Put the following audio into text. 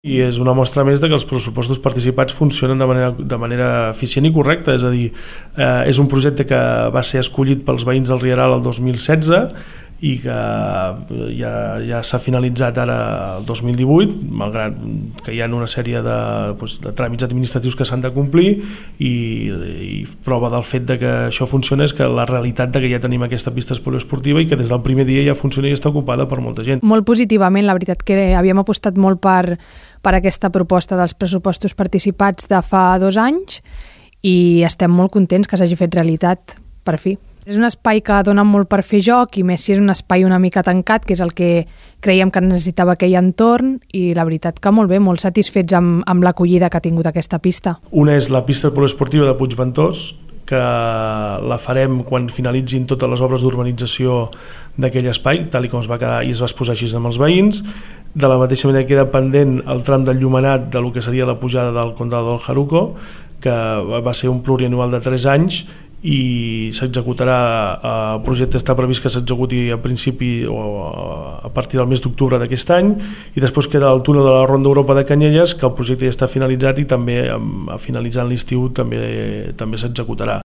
I és una mostra més de que els pressupostos participats funcionen de manera eficient i correcta, és a dir, és un projecte que va ser escollit pels veïns del Rieral el 2016 i que ja s'ha finalitzat ara el 2018, malgrat que hi ha una sèrie de tràmits administratius que s'han de complir, i prova del fet de que això funciona és que la realitat de que ja tenim aquesta pista poliesportiva i que des del primer dia ja funciona i està ocupada per molta gent. Molt positivament, la veritat que havíem apostat molt per aquesta proposta dels pressupostos participats de fa 2 anys i estem molt contents que s'hagi fet realitat, per fi. És un espai que dona molt per fer joc i més si és un espai una mica tancat, que és el que creiem que necessitava aquell entorn, i la veritat que molt bé, molt satisfets amb l'acollida que ha tingut aquesta pista. Una és la pista poliesportiva de Puigventós, que la farem quan finalitzin totes les obres d'urbanització d'aquell espai, tal com es va quedar i es va exposar així amb els veïns. De la mateixa manera queda pendent el tram del Llumenat de lo que seria la pujada del Condado del Jaruco, que va ser un plurianual de 3 anys i s'executarà, el projecte està previst que s'executi a principi o a partir del mes d'octubre d'aquest any, i després queda el túnel de la Ronda Europa de Canyelles, que el projecte ja està finalitzat i també finalitzant l'estiu també s'executarà.